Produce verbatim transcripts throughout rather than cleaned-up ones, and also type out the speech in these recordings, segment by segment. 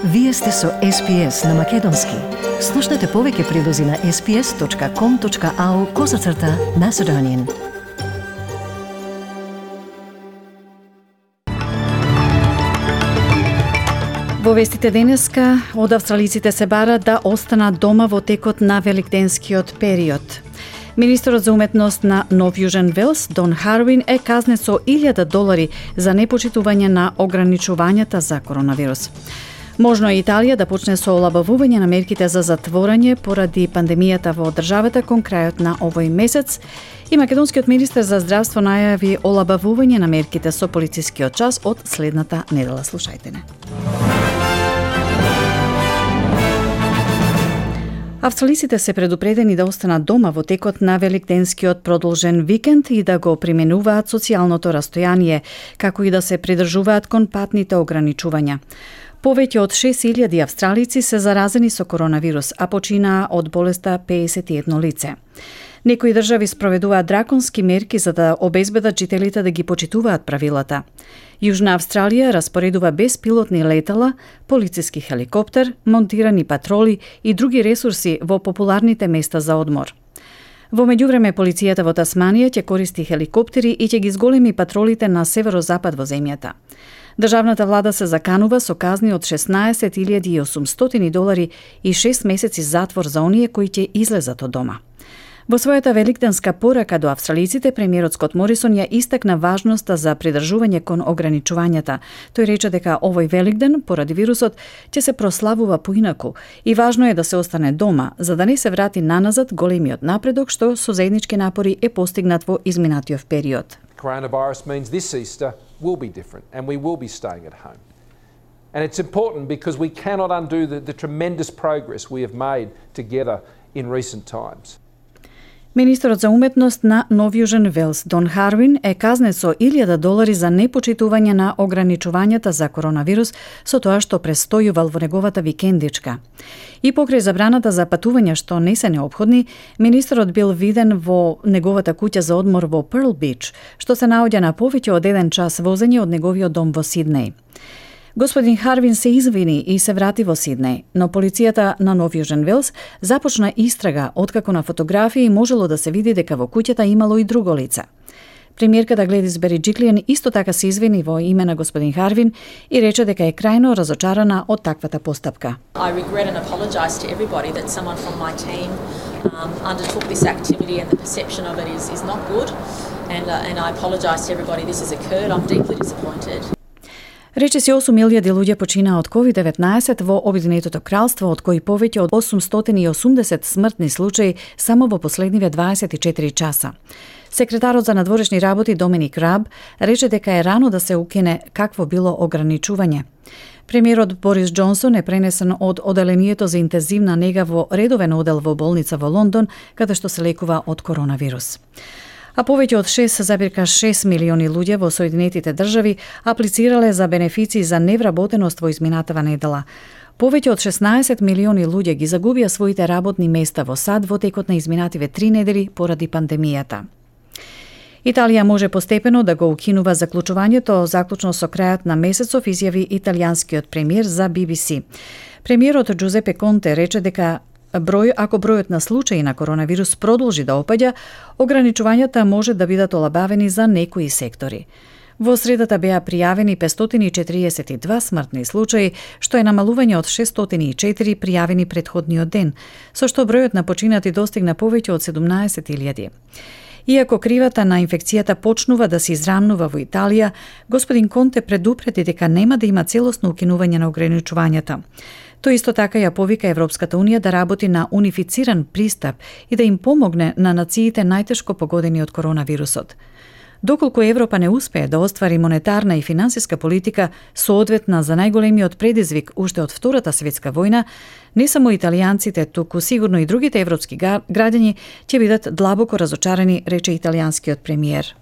Вие сте со Ес Пи Ес на Македонски. Слушнете повеќе прилози на ес пи ес точка ком точка ау козацрта Macedonian. Во вестите денеска, од австралиците се бара да останат дома во текот на великденскиот период. Министерот за уметност на Нов Јужен Велс, Дон Харвин, е казнет со илјада долари за непочитување на ограничувањата за коронавирус. Можно е Италија да почне со олабавување на мерките за затворање поради пандемијата во државата кон крајот на овој месец и македонскиот министер за здравство најави олабавување на мерките со полицискиот час од следната недела. Слушајте не. Австралиците се предупредени да останат дома во текот на великденскиот продолжен викенд и да го применуваат социјалното растојание, како и да се придржуваат кон патните ограничувања. Повеќе од шест илјади австралици се заразени со коронавирус, а починаа од болеста педесет и едно лице. Некои држави спроведуваат драконски мерки за да обезбедат жителите да ги почитуваат правилата. Јужна Австралија распоредува беспилотни летала, полициски хеликоптер, монтирани патроли и други ресурси во популарните места за одмор. Во меѓувреме, полицијата во Тасманија ќе користи хеликоптери и ќе ги зголеми патролите на северозапад во земјата. Државната влада се заканува со казни од шеснаесет илјади и осумстотини долари и шест месеци затвор за оние кои ќе излезат од дома. Во својата великденска порака до австралиците, премиерот Скот Морисон ја истакна важноста за придржување кон ограничувањата. Тој рече дека овој великден, поради вирусот, ќе се прославува поинаку и важно е да се остане дома, за да не се врати наназад големиот напредок што со заеднички напори е постигнат во изминатиот период. Coronavirus means this Easter will be different and we will be staying at home. And it's important because we cannot undo the, the tremendous progress we have made together in recent times. Министерот за уметност на Нов Јужен Велс, Дон Харвин, е казнет со илјада долари за непочитување на ограничувањата за коронавирус со тоа што престојувал во неговата викендичка. И покрај забраната за патувања што не се неопходни, министерот бил виден во неговата куќа за одмор во Перл Бич, што се наоѓа на повеќе од еден час возење од неговиот дом во Сиднеј. Господин Харвин се извини и се врати во Сиднеј, но полицијата на Нов Јужен Велс започна истрага откако на фотографии можело да се види дека во куќата имало и друго лице. Премиерката Гледис Бериџиклиен исто така се извини во име на господин Харвин и рече дека е крајно разочарана од таквата постапка. I regret and apologize to everybody that someone from my team um, undertook this activity and the perception of it is is not good and uh, and I apologize to everybody this has occurred. I'm deeply disappointed. Речиси осум илјади луѓе починаа од ковид деветнаесет во Обединетото кралство, од кои повеќе од осумстотини и осумдесет смртни случаи само во последниве дваесет и четири часа. Секретарот за надворешни работи Доминик Раб рече дека е рано да се укине какво било ограничување. Премиерот Борис Џонсон е пренесен од оделението за интензивна нега во редовен одел во болница во Лондон, каде што се лекува од коронавирус. А повеќе од шест зарез шест милиони луѓе во Соединетите држави аплицирале за бенефиции за невработеност во изминатава недела. Повеќе од шеснаесет милиони луѓе ги загубија своите работни места во САД во текот на изминативе три недели поради пандемијата. Италија може постепено да го укинува заклучувањето заклучно со крајот на месецов, изјави италијанскиот премиер за Би Би Си. Премиерот Џузепе Конте рече дека Број, ако бројот на случаи на коронавирус продолжи да опаѓа, ограничувањата може да бидат олабавени за некои сектори. Во средата беа пријавени петстотини и четириесет и два смртни случаи, што е намалување од шестстотини и четири пријавени претходниот ден, со што бројот на починати достигна повеќе од седумнаесет илјади. Иако кривата на инфекцијата почнува да се израмнува во Италија, господин Конте предупреди дека нема да има целосно укинување на ограничувањата. Тој исто така ја повика Европската Унија да работи на унифициран пристап и да им помогне на нациите најтешко погодени од коронавирусот. Доколку Европа не успее да оствари монетарна и финансиска политика соодветна за најголемиот предизвик уште од Втората светска војна, не само италијанците, туку сигурно и другите европски граѓани ќе бидат длабоко разочарани, рече италијанскиот премиер.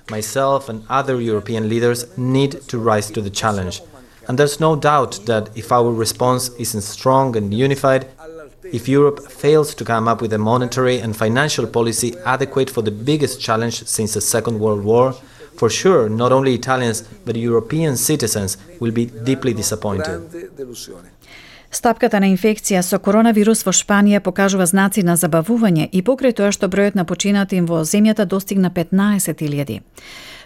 Myself and other European leaders need to rise to the challenge. And there's no doubt that if our response isn't strong and unified, if Europe fails to come up with a monetary and financial policy adequate for the biggest challenge since the Second World War, for sure, not only Italians, but European citizens will be deeply disappointed. Стапката на инфекција со коронавирус во Шпанија покажува знаци на забавување и покрај тоа што бројот на починати во земјата достигна петнаесет илјади.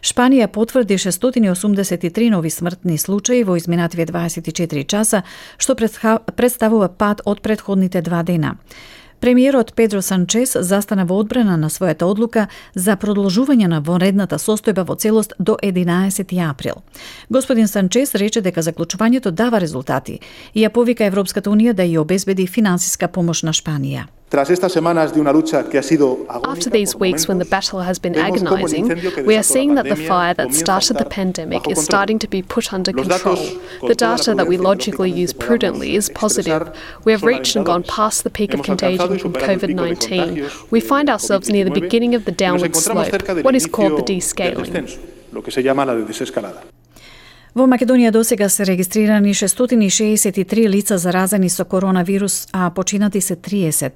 Шпанија потврди шестстотини и осумдесет и три нови смртни случаи во изминативе дваесет и четири часа, што представува пад од претходните два дена. Премиерот Педро Санчес застана во одбрана на својата одлука за продолжување на вонредната состојба во целост до единаесети април. Господин Санчес рече дека заклучувањето дава резултати и ја повика Европската унија да ја обезбеди финансиска помош на Шпанија. After these weeks when the battle has been agonizing, we are seeing that the fire that started the pandemic is starting to be put under control. The data that we logically use prudently is positive. We have reached and gone past the peak of contagion from COVID nineteen. We find ourselves near the beginning of the downward slope, what is called the descaling. Во Македонија досега се регистрирани шестстотини и шеесет и три лица заразени со коронавирус, а починати се триесет.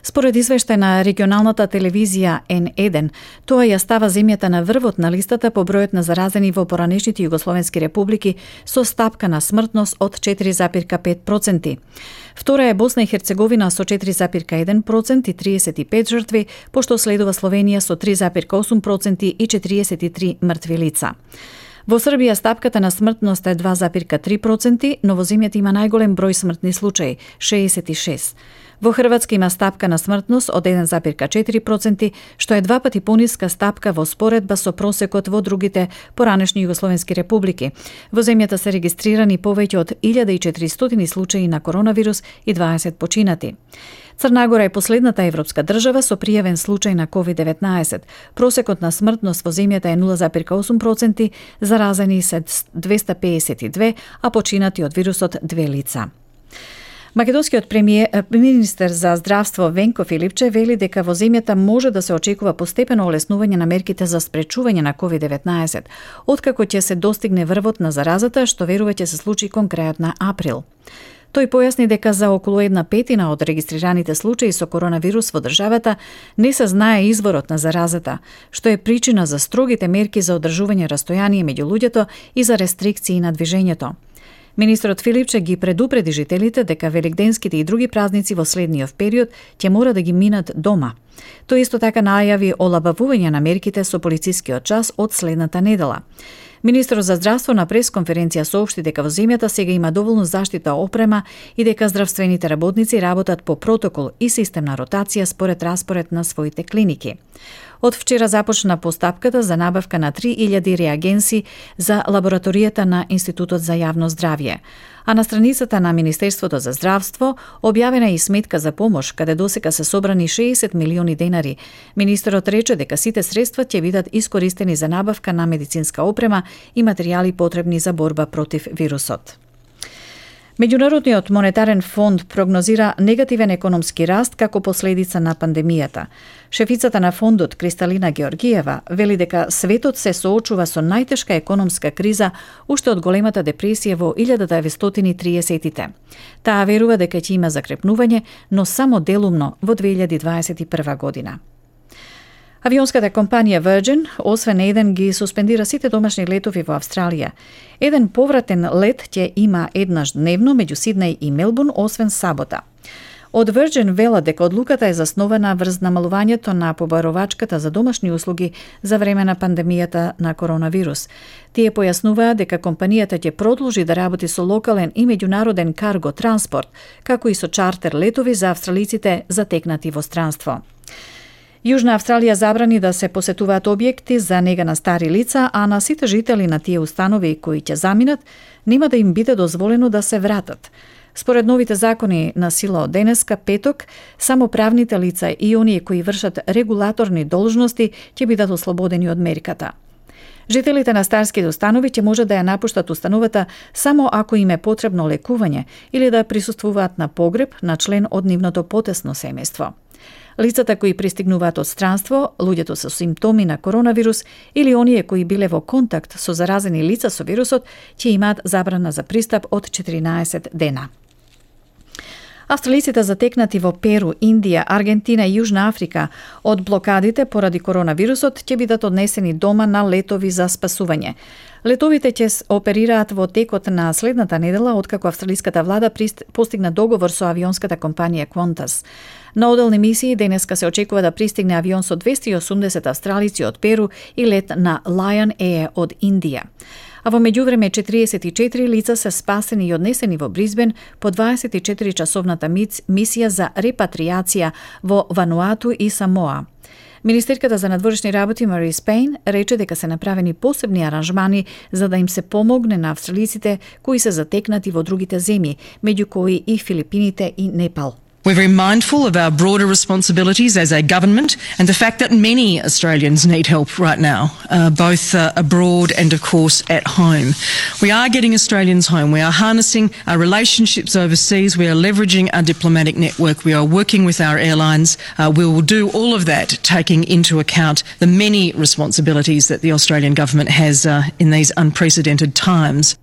Според извештај на регионалната телевизија Ен еден, тоа ја става земјата на врвот на листата по бројот на заразени во поранешните југословенски републики со стапка на смртност од четири запирка пет проценти. Втора е Босна и Херцеговина со четири запирка еден процент и триесет и пет жртви, пошто следува Словенија со три запирка осум проценти и четириесет и три мртви лица. Во Србија стапката на смртност е два запирка три проценти, но во земјата има најголем број смртни случаи – шеесет и шест. Во Хрватска има стапка на смртност од еден запирка четири проценти, што е два пати пониска стапка во споредба со просекот во другите поранешни југословенски републики. Во земјата се регистрирани повеќе од илјада и четиристотини случаи на коронавирус и дваесет починати. Црна Гора е последната европска држава со пријавен случај на ковид деветнаесет. Просекот на смртност во земјата е нула запирка осум проценти, заразени се двеста пеесет и две, а починати од вирусот две лица. Македонскиот премиер, министер за здравство Венко Филипче вели дека во земјата може да се очекува постепено олеснување на мерките за спречување на ковид деветнаесет, откако ќе се достигне врвот на заразата, што верува ќе се случи кон крајот на април. Тој појасни дека за околу една петина од регистрираните случаи со коронавирус во државата не се знае изворот на заразата, што е причина за строгите мерки за одржување растојание меѓу луѓето и за рестрикции на движењето. Министерот Филипче ги предупреди жителите дека великденските и други празници во следниот период ќе мора да ги минат дома. Тој исто така најави олабавување на мерките со полицискиот час од следната недела. Министерот за здравство на пресконференција соопшти дека во земјата сега има доволно заштита опрема и дека здравствените работници работат по протокол и систем на ротација според распоред на своите клиники. Од вчера започна постапката за набавка на три илјади реагенси за лабораторијата на Институтот за јавно здравје. А на страницата на Министерството за здравство објавена е и сметка за помош, каде досега се собрани шеесет милиони денари. Министерот рече дека сите средства ќе бидат искористени за набавка на медицинска опрема и материјали потребни за борба против вирусот. Меѓународниот монетарен фонд прогнозира негативен економски раст како последица на пандемијата. Шефицата на фондот Кристалина Георгиева вели дека светот се соочува со најтешка економска криза уште од големата депресија во илјада деветстотини и триесеттите. Таа верува дека ќе има закрепнување, но само делумно во две илјади дваесет и прва година. Авионската компанија Virgin, освен еден, ги суспендира сите домашни летови во Австралија. Еден повратен лет ќе има еднаш дневно меѓу Сиднеј и Мелбурн, освен сабота. Од Virgin велат дека одлуката е заснована врз намалувањето на побаровачката за домашни услуги за време на пандемијата на коронавирус. Тие појаснуваат дека компанијата ќе продолжи да работи со локален и меѓународен карго транспорт, како и со чартер летови за австралиците затекнати во странство. Јужна Австралија забрани да се посетуваат објекти за нега на стари лица, а на сите жители на тие установи кои ќе заминат, нема да им биде дозволено да се вратат. Според новите закони на сила од денеска, петок, само правните лица и оние кои вршат регулаторни должности ќе бидат ослободени од мерката. Жителите на старските установи ќе може да ја напуштат установата само ако им е потребно лекување или да присуствуваат на погреб на член од нивното потесно семејство. Лицата кои пристигнуваат од странство, луѓето со симптоми на коронавирус или оние кои биле во контакт со заразени лица со вирусот ќе имаат забрана за пристап од четиринаесет дена. Австралиците затекнати во Перу, Индија, Аргентина и Јужна Африка од блокадите поради коронавирусот ќе бидат однесени дома на летови за спасување. Летовите ќе оперираат во текот на следната недела, откако австралиската влада постигна договор со авионската компанија Qantas. На оделни мисии денеска се очекува да пристигне авион со двесте и осумдесет австралици од Перу и лет на Lion Air од Индија. А во меѓувреме четириесет и четири лица се спасени и однесени во Бризбен по дваесет и четири часовната мисија за репатриација во Вануату и Самоа. Министерката за надворешни работи Мари Спейн рече дека се направени посебни аранжмани за да им се помогне на австралиците кои се затекнати во другите земји, меѓу кои и Филипините и Непал. We're very mindful of our broader responsibilities as a government and the fact that many Australians need help right now, uh, both uh, abroad and, of course, at home. We are getting Australians home. We are harnessing our relationships overseas. We are leveraging our diplomatic network. We are working with our airlines. Uh, we will do all of that, taking into account the many responsibilities that the Australian government has uh, in these unprecedented times.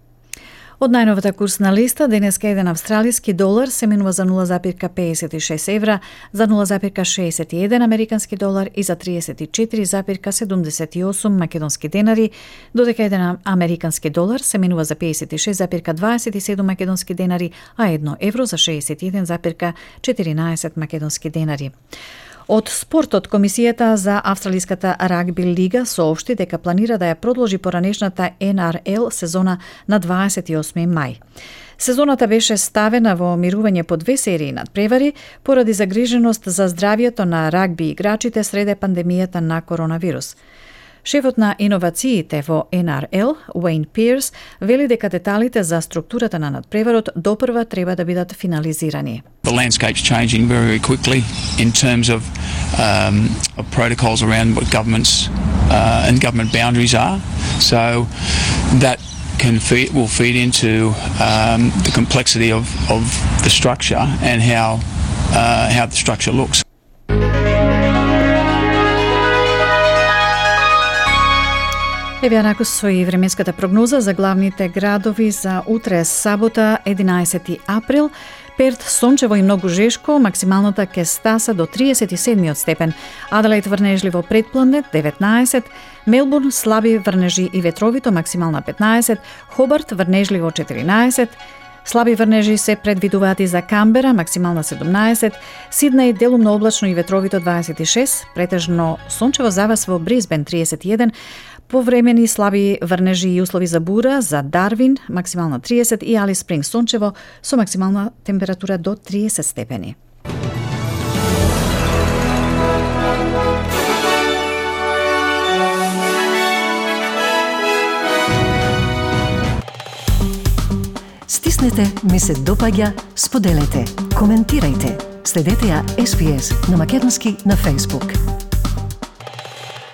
Од најновата курсна листа, денеска еден австралиски долар се менува за нула запирка педесет и шест евра, за нула запирка шеесет и еден американски долар и за тридесет и четири запирка седумдесет и осум македонски денари, додека еден американски долар се менува за педесет и шест запирка дваесет и седум македонски денари, а едно евро за шеесет и еден запирка четиринаесет македонски денари. Од спортот, Комисијата за Австралиската рагби лига соопшти дека планира да ја продолжи поранешната Ен Ар Ел сезона на дваесет и осми мај. Сезоната беше ставена во мирување по две серии надпревари поради загриженост за здравјето на рагби играчите среде пандемијата на коронавирус. Шефот на иновациите во Ен Ар Ел, Уейн Пирс, вели дека деталите за структурата на надпреварот допрва треба да бидат финализирани. The landscape's changing very quickly in terms of, um, of protocols around what governments uh, and government boundaries are. So that can feed, will feed into um, the complexity of, of the structure and how uh, how the structure looks. Еве накус со и временската прогноза за главните градови за утре сабота единаесети април. Перт сончево и многу жешко, максималната ќе стаса до тридесет и седми степен. Аделаид врнежливо предпланет деветнаесет, Мелбурн слаби врнежи и ветровито максимална петнаесет, Хобарт врнежливо четиринаесет, слаби врнежи се предвидуваат и за Камбера, максимална седумнаесет, Сиднеј делумно облачно и ветровито дваесет и шест, претежно сончево за вас во Бризбен тридесет и еден, повремени слаби врнежи и услови за бура за Дарвин, максимална тридесет и Алис Спрингс сончево со максимална температура до тридесет степени. Стиснете, ми се допаѓа, споделете, коментирајте. Следете ја Ес Би Ес на македонски на Facebook.